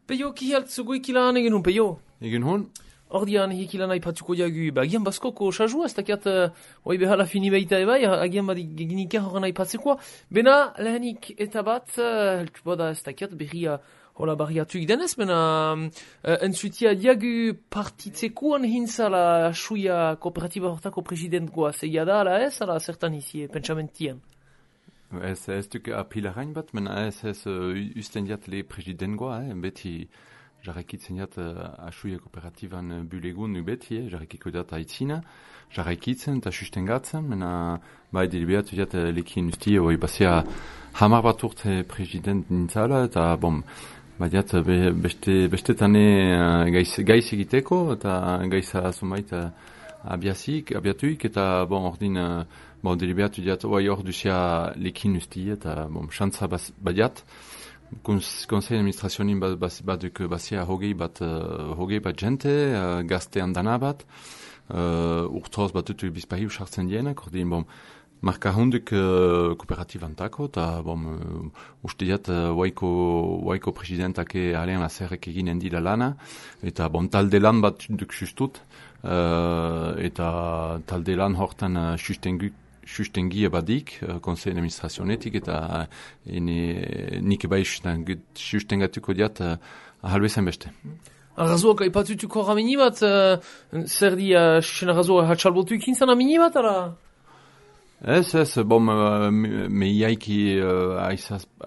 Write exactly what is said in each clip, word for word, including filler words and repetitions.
Peio kihalt zugo ikilan egen hun, peio? Egen hun? Ordian hikilan aipatuko jagu, ba, agian baskoko sajua, ez dakiat, uh, oi behala fini baita ebai, agian badi geginika horren aipatzekoa. Bena, lehenik eta bat, uh, heltu bada ez dakiat, berria hola barriatuik denez, bena, uh, entzutia diagu partitzekuan hintzala asuia kooperatiba hortako presidentgoa, zeia da, ala ez, ala zertan izi, pentsamentien. Ez ez duk apilarain bat, mena ez ez uh, usten diat le presidentgoa, eh, beti jarraikitzen diat uh, asuia kooperatiban uh, bulegun nu beti, eh, jarraikiko diat aitzina, jarraikitzen eta sustengatzen, mena bai deliberatu diat uh, lekin usti, oi basia hamar bat urte president nintzala, eta bom, bai diat be, beste, beste tane uh, gaiz, gaiz egiteko, eta gaiza zumait uh, abiazik, abiatuik, eta bon, ordin, uh, bon, deliberatu diat, oi hor duzia lekin usti, eta bom, xantza badiat, Konsei administrazionin bat, bat, baduk basia hogei bat, uh, hogei bat jente, uh, gazte handana bat, uh, urtoz bat dutu bizpahi usartzen dienak, ordin, bom, marka hunduk uh, kooperatibantako, eta, bom, uh, uste diat, uh, waiko, waiko presidentake alen lazerrek eginen dila lana, eta, bom, talde lan bat duk sustut, uh, eta talde lan hortan uh, sustenguk, sustengia badik, uh, konsei administrazionetik, eta ene, nik bai sustengatuko diat uh, ahalbezen beste. Arrazoak aipatutuko ramini bat, uh, zer di, uh, susen arrazoak hatxalbotuik hintzan amini bat, ara? Ez, ez, bom, uh, meiaiki uh,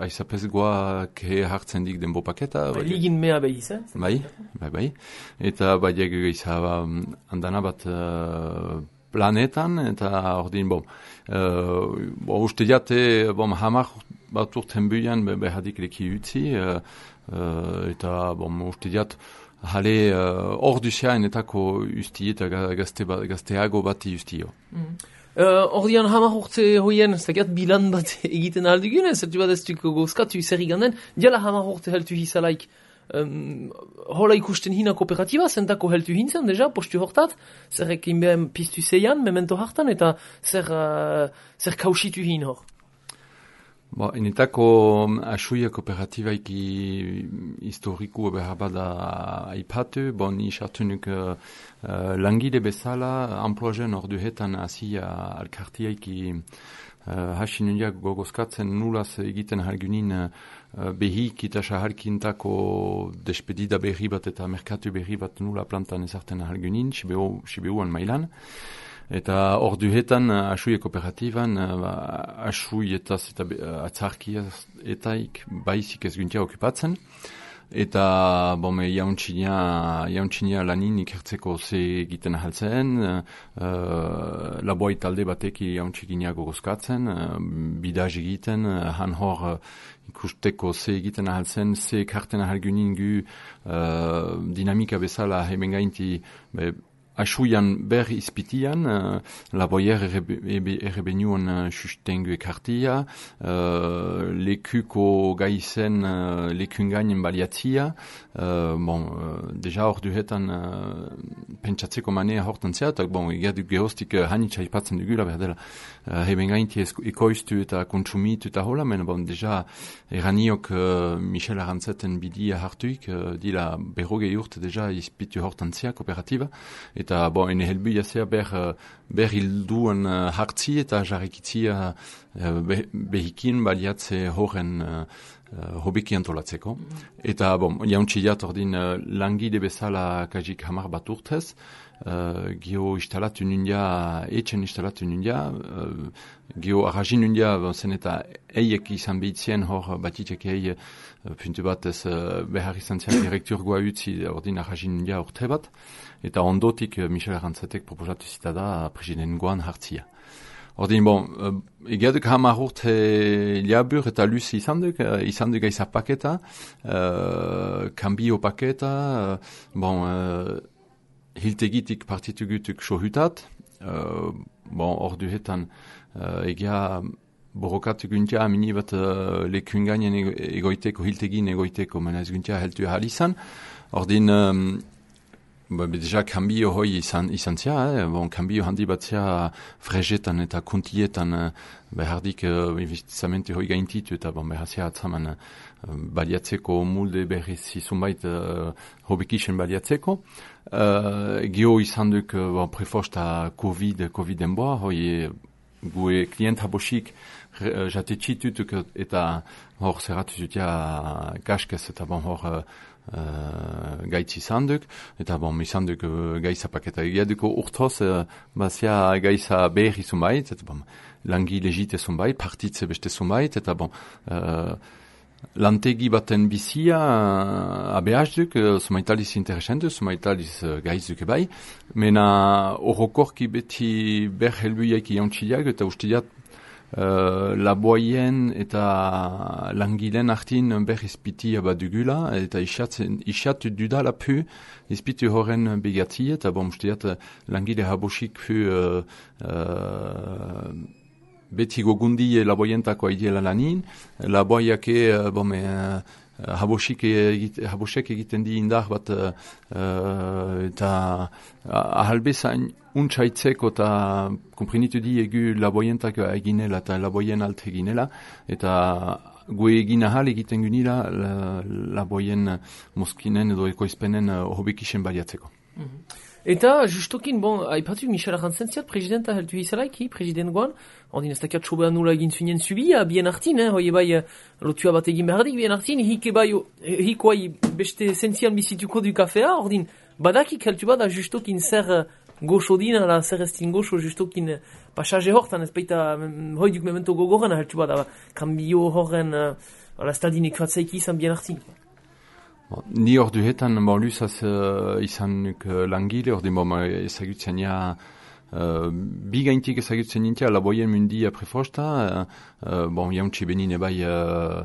aizapezgoa ke hartzen dik denbo paketa. Ba, ligin mea behiz, eh? Bai, bai, bai. Eta bai diagego izaba um, andana bat uh, planetan, eta ordin, bom, uh, bo, uste diate, bom, hamar bat urten buian behadik leki utzi, uh, uh, eta, bom, uste diat, hale hor uh, duziaen etako usti eta gazte, gazteago bati ustio. Mm. Uh, ordian hamar urte hoien, ez dakiat bilan bat egiten aldugun, ez ertu bat ez duko gozkatu zer iganden, diala hamar urte heltu hizalaik. Um, hola ikusten hina kooperatiba, zentako heltu hintzen, deja, postu hortat, zerrek inbean piztu zeian, memento hartan, eta zer, uh, zer kausitu hin hor. Bo, enetako asuia kooperatibaiki historiku behar bada aipatu, bon, isartunuk uh, langile bezala, amploazen ordu hetan asia alkartiaiki Uh, hasin undiak gogozkatzen nulaz egiten halgunin uh, behik eta saharkintako despedida berri bat eta merkatu berri bat nula plantan ezarten halgunin, Sibeuan mailan. Eta orduhetan uh, asui kooperatiban uh, asui eta uh, atzarkia etaik baizik ez guntia okupatzen. Eta, bome, jauntxinia, jauntxinia lanin ikertzeko ze egiten ahaltzen, uh, laboi talde bateki jauntxikinia gogozkatzen, uh, bidaz egiten, uh, han hor uh, ikusteko ze egiten ahaltzen, ze karten ahalgunin gu uh, dinamika bezala hemen gainti, be, asuian ber izpitian, uh, laboier errebenuan uh, sustengu ekartia, uh, lekuko gaizen uh, lekun gainen baliatzia, uh, bon, uh, deja hor duhetan uh, pentsatzeko manea hortan zeatak, bon, egadu gehostik uh, hanitza ipatzen dugula berdela, uh, heben gainti ekoiztu eta kontsumitu eta hola, men bon, deja eraniok uh, Michel Arantzeten bidia hartuik, uh, dila berrogei urte deja izpitu hortan zea kooperatiba, eta bon, ene helbuia zea ber, ber hilduan uh, hartzi eta jarrikitzia uh, be, behikin baliatze horren uh, uh, hobeki antolatzeko. Mm. Eta, bon, jauntxiat ordin uh, langide bezala kajik hamar bat urtez, uh, gio instalatu nundia, etxen instalatu nundia, uh, gio arrajin nundia, bon, zen eta eiek izan behitzien hor batitek ei uh, puntu bat ez uh, behar izan zen direkturgoa utzi ordin arrajin nundia urte bat, eta ondotik uh, Michel Arantzetek proposatu zita da presidengoan hartzia. Ordin, bon, uh, egiaduk hamar urte liabur eta luzi izan duk, uh, izan duk aiza paketa, uh, kambio paketa, uh, bon, uh, hiltegitik partitu gutuk sohutat, uh, bon, ordu hetan uh, egia borokatu guntia amini bat uh, lekun gainen egoiteko, hiltegin egoiteko, mena ez guntia heltu ahal izan. Ordin, um, Ba, deja, kambio hoi izan, izan zia, eh? Bon, kambio handi bat zia fregetan eta kuntietan uh, behardik uh, investizamente hoi gaintitu eta bon, behar zia atzaman uh, baliatzeko mulde berriz izunbait uh, hobekisen baliatzeko. Uh, Gio izan duk uh, bon, prefosta COVID, COVID-en boa, hoi gue klient habosik uh, jate txitutuk eta hor zerratu zutia kaskez eta bon hor uh, Uh, gaitz izan duk, eta bon, izan duk uh, gaiza paketa egiaduko urtoz, uh, bazia gaiza behir izunbait, eta bon, langi legite zunbait, partitze beste zunbait, eta bon, uh, lantegi baten bizia uh, abeaz duk, uh, zumaitaliz interesendu, zumaitaliz uh, gaiz duke bai, mena horrokorki beti ber helbuiak iantxileak, eta ustiat Uh, laboien eta langilen artin berriz piti abadugula eta isat dudala pu izpitu horren begati eta bon usteat langile habosik pu uh, uh, beti gogundi laboientako aidiela lanin laboiake uh, bon, uh, habosik egite, habosek egiten di indar bat uh, eta ahalbezain untsaitzeko eta komprenitu di egu laboientak eginela eta laboien alt eginela eta gue egin ahal egiten gunila laboien moskinen edo ekoizpenen hobekisen baliatzeko. Mm-hmm. Eta, justokin, bon, haipatu Michel Arrantzentziat, presidenta heltu izalaiki, president goan, ordin ez dakiat sobean nula egin zunien zubia, bien artin, eh, hoi bai, lotua bat egin behardik, bien artin, hike bai, hiko bai, beste esentzian bizituko du kafea, ordin, badakik heltu bada justokin zer goxo dina, la zer estin goxo justokin pasaje hortan, ez baita, hoi duk memento gogoran heltu bada, kambio horren, uh, estadinek fatzaiki izan bien artin. Ni hor duhetan, bon, luzaz uh, izan nuk uh, langile, hor den bon, ezagutzen ja, uh, bigaintik ezagutzen nintia, laboien mundi prefosta, uh, uh, bon, jauntxe benin ebai uh,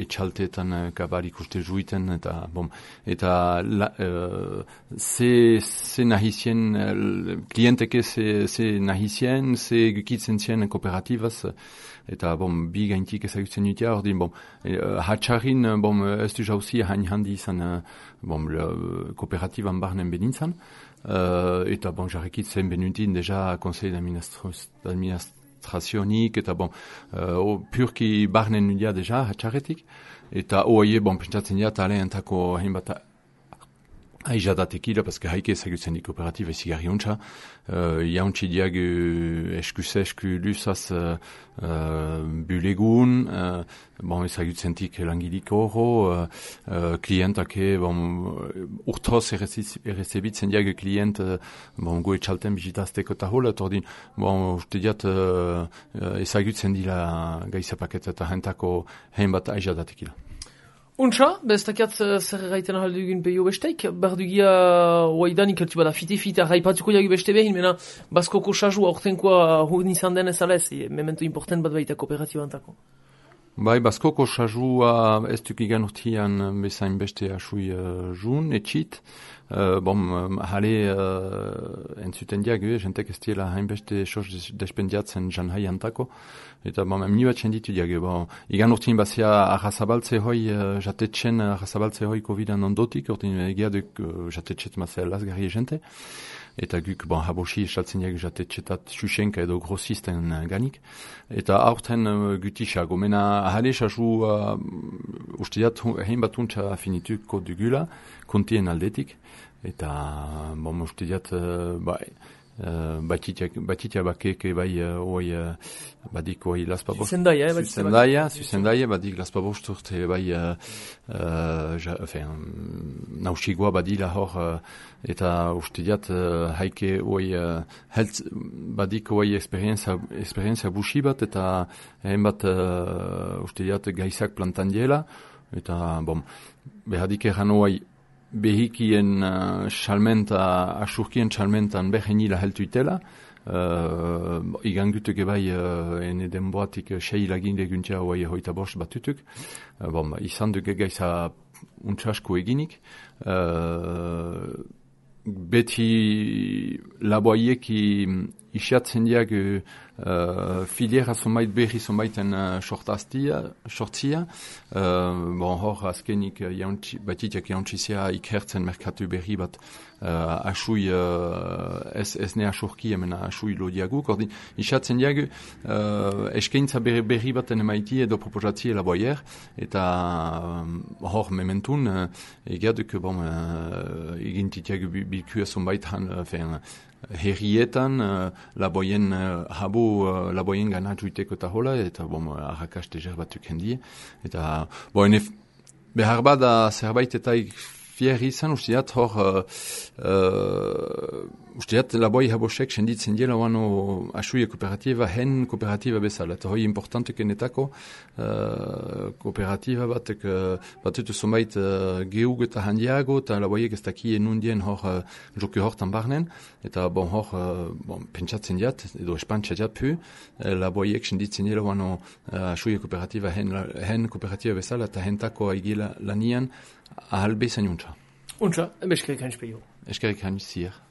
etxalteetan uh, kabal ikuste juiten, eta, bon, eta la, uh, ze, ze nahizien, uh, klienteke ze, ze nahizien, ze gukitzen zien kooperatibaz, eta bon, bi gaintik ezagutzen dutia, hor din, bon, e, hatxarrin, bon, ez du jauzi hain handi izan, bon, kooperatiban barnen benintzan, uh, eta bon, jarrekitzen benutin deja konsei d'administrazionik, eta bon, uh, purki barnen nudia deja hatxarretik, eta oaie, bon, pentsatzen dira, tale entako hain bat aizadatekila, paske haike ezagutzen di kooperatiba ezigarri untxa, uh, jauntzi diag eskuze esku luzaz uh, uh, bulegun, uh, bon, ezagutzen tik langilik horro, uh, uh, klientake, bon, urtoz errezebitzen diag klient, uh, bon, goe txalten bizitazteko eta hola, tordin, bon, uste diat uh, ezagutzen dila gaizapaketa eta hentako hein bat aizadatekila. Untxa, beztakiat zer erraiten ahaldugun peio besteik, bardugia oaidanik eltu bada fite-fite arraipatuko jagu beste behin, mena Baskoko saju aurtenkoa hurni izan denez alez, e, memento important bat baita kooperatibantako. Bai, Baskoko sajua ez duk igan urtian bezain beste asui uh, jun, etxit. Uh, bom, um, hale uh, entzuten diagu, jentek ez diela hainbeste sos despendiatzen jan haiantako. Eta bom, emni bat jenditu diagu. Bon, igan urtin bazia arrazabaltze hoi, uh, jatetxen arrazabaltze hoi covidan ondotik, urtin egiaduk uh, jatetxet mazea lasgarri jente. Eta guk, bon, habosi esaltzen diagu jatetxetat xuxenka edo grossisten uh, ganik. Eta aurten uh, gutisago. Mena hale sasu uh, usteat hein bat untsa finituko dugula, kontien aldetik. Eta, bon, uste diat, uh, bai, uh, batitia bakeke bai, uh, oi, uh, badik, oi, laspabo. Zuzendaia, eh? Zuzendaia, zuzendaia, badik, laspabo sturte, bai, uh, uh, ja, enfin, nausigoa badila hor, uh, eta uste diat, uh, haike, oi, uh, heltz, badik, oi, esperienza, esperienza busi bat, eta hein bat, uh, uste diat, gaizak plantan diela, eta, bon, behadik eran, oi, behikien uh, salmenta, asurkien salmentan behenila heltuitela, uh, igan gutuk ebai uh, ene denboatik sei lagin leguntia oai hoita bost batutuk, uh, bon, izan duke gaiza untsasko eginik, uh, beti laboaieki isiatzen diag uh, filiera zonbait berri zonbaiten uh, sortaztia, sortzia. Uh, bon, hor azkenik uh, jauntzi, batitiak jauntzizia ikertzen merkatu berri bat uh, asui uh, ez, ez ne asurki hemen asui lodiaguk. Ordin, isatzen diagu uh, eskaintza berri, berri baten emaiti edo proposatie laboier eta um, hor mementun uh, egiaduk bon, uh, egintitiagu bilkua zonbait han uh, fen, herrietan, uh, laboien uh, habo uh, laboien ganatu iteko eta hola, eta bom, arrakaste jerbatuk hendi. Eta, bo, enef, behar bada zerbait eta fier izan, usteat hor, uh, uh, usteat laboi habosek senditzen diela wano asuia kooperatiba, hen kooperatiba bezala. Eta hoi importantek enetako uh, kooperatiba batek uh, batutu zonbait uh, geug eta handiago, eta laboiek ez dakien nundien hor uh, joku hortan barnen, eta bon hor, uh, bon, pentsatzen diat, edo espantxa diat pu, uh, laboiek senditzen diela wano uh, asuia kooperatiba, hen, hen kooperatiba bezala, eta hentako aigila lanian, ahal bezan juntza. Untza, eskerrik hain speio. Eskerrik hain zier.